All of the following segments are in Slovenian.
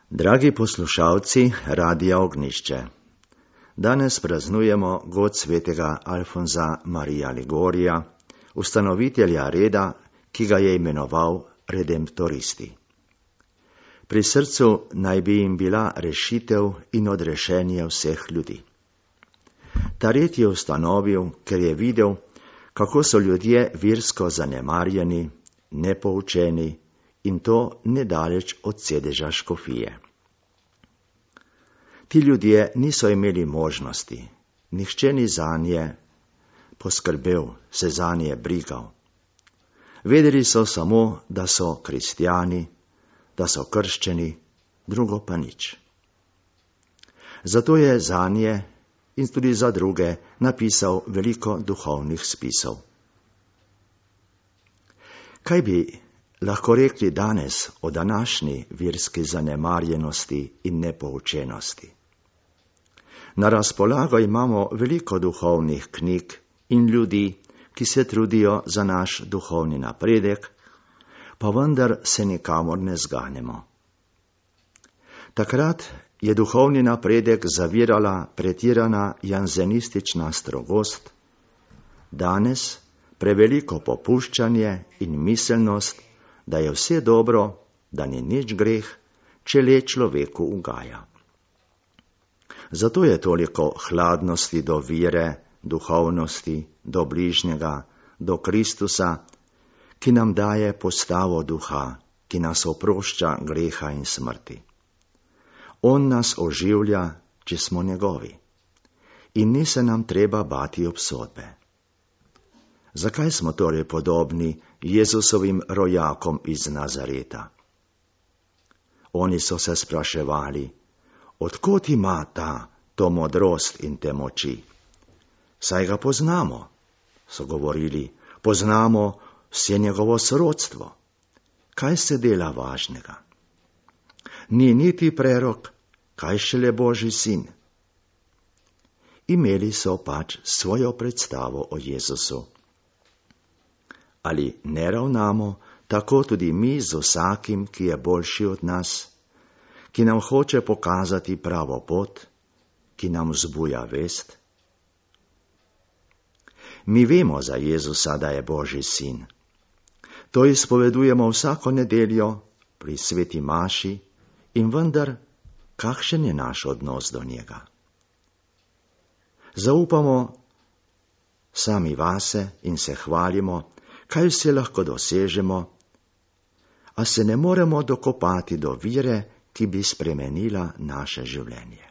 Dragi poslušalci Radia Ognjišče, danes praznujemo god svetega Alfonza Marija Ligorija, ustanovitelja reda, ki ga je imenoval redemptoristi. Pri srcu naj bi jim bila rešitev in odrešenje vseh ljudi. Ta red je ustanovil, ker je videl, kako so ljudje virsko zanemarjeni, nepoučeni in to nedaleč od sedeža škofije. Ti ljudje niso imeli možnosti, nihče ni zanje poskrbel, se zanje brigal. Vedeli so samo, da so kristjani, da so krščeni, drugo pa nič. Zato je zanje in tudi za druge napisal veliko duhovnih spisov. Kaj bi lahko rekli danes o današnji virski zanemarjenosti in nepoučenosti? Na razpolago imamo veliko duhovnih knjig in ljudi, ki se trudijo za naš duhovni napredek, pa vendar se nikamor ne zganemo. Takrat je duhovni napredek zavirala pretirana janzenistična strogost, danes preveliko popuščanje in miselnost, da je vse dobro, da ni nič greh, če le človeku ugaja. Zato je toliko hladnosti do vere, duhovnosti, do bližnjega, do Kristusa, ki nam daje postavo duha, ki nas oprošča greha in smrti. On nas oživlja, če smo njegovi. In ni se nam treba bati obsodbe. Zakaj smo torej podobni Jezusovim rojakom iz Nazareta? Oni so se spraševali, odkot ima to modrost in te moči? Saj ga poznamo, so govorili, poznamo vse njegovo sorodstvo. Kaj se dela važnega? Ni niti prerok, kaj šele Božji sin. Imeli so pač svojo predstavo o Jezusu. Ali ne ravnamo tako tudi mi z vsakim, ki je boljši od nas, ki nam hoče pokazati pravo pot, ki nam vzbuja vest? Mi vemo za Jezusa, da je Božji sin. To izpovedujemo vsako nedeljo pri sveti maši in vendar, kakšen je naš odnos do njega? Zaupamo sami vase in se hvalimo, kaj vse lahko dosežemo, a se ne moremo dokopati do vire, ki bi spremenila naše življenje.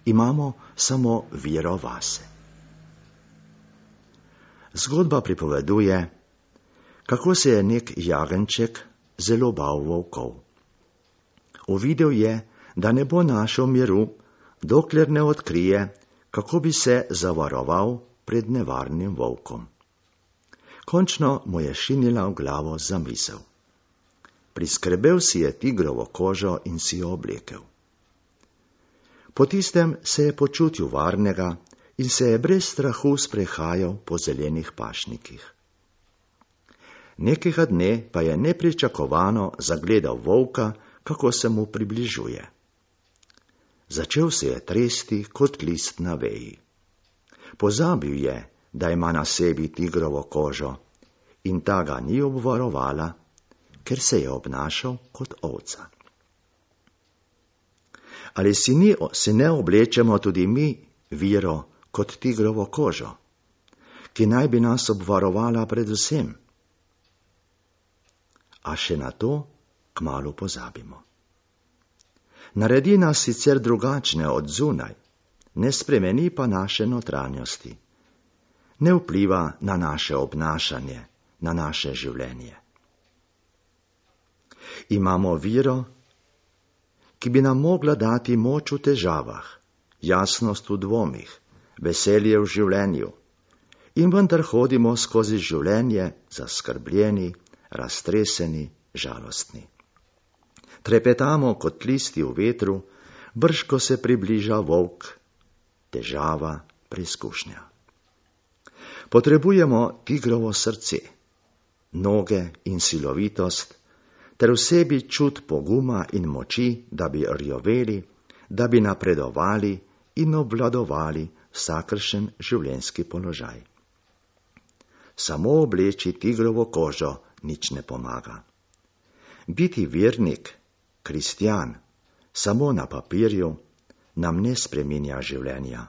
Imamo samo vero vase. Zgodba pripoveduje, kako se je nek jagenjček zelo bal volkov. Uvidel je, da ne bo našel miru, dokler ne odkrije, kako bi se zavaroval pred nevarnim volkom. Končno mu je šinila v glavo zamisel. Priskrbel si je tigrovo kožo in si jo oblekel. Po tistem se je počutil varnega in se je brez strahu sprehajal po zelenih pašnikih. Nekega dne pa je nepričakovano zagledal volka, kako se mu približuje. Začel se je tresti kot list na veji. Pozabil je, da ima na sebi tigrovo kožo in ta ga ni obvarovala, ker se je obnašal kot ovca. Ali si ne oblečemo tudi mi viro kot tigrovo kožo, ki naj bi nas obvarovala predvsem? A še na to kmalu pozabimo. Naredi nas sicer drugačne od zunaj, ne spremeni pa naše notranjosti. Ne vpliva na naše obnašanje, na naše življenje. Imamo viro, ki bi nam mogla dati moč v težavah, jasnost v dvomih, veselje v življenju, in vendar hodimo skozi življenje zaskrbljeni, raztreseni, žalostni. Trepetamo kot listi v vetru, brž ko se približa volk, težava, preizkušnja. Potrebujemo tigrovo srce, noge in silovitost, ter v sebi čut poguma in moči, da bi rjoveli, da bi napredovali in obvladovali vsakršen življenjski položaj. Samo obleči tigrovo kožo nič ne pomaga. Biti vernik, kristjan, samo na papirju nam ne spreminja življenja.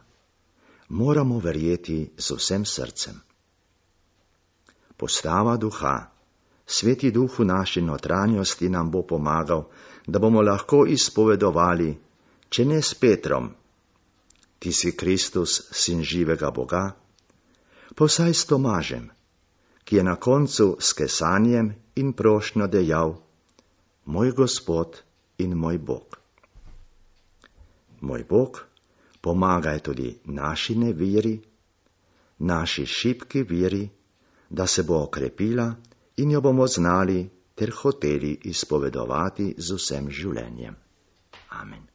Moramo verjeti z vsem srcem. Postava duha, Sveti Duh v naši notranjosti nam bo pomagal, da bomo lahko izpovedovali, če ne s Petrom, ti si Kristus, sin živega Boga, pa vsaj s Tomažem, ki je na koncu s kesanjem in prošnjo dejal: Moj Gospod in moj Bog. Moj Bog, pomagaj tudi naši neveri, naši šibki veri, da se bo okrepila in jo bomo znali ter hoteli izpovedovati z vsem življenjem. Amen.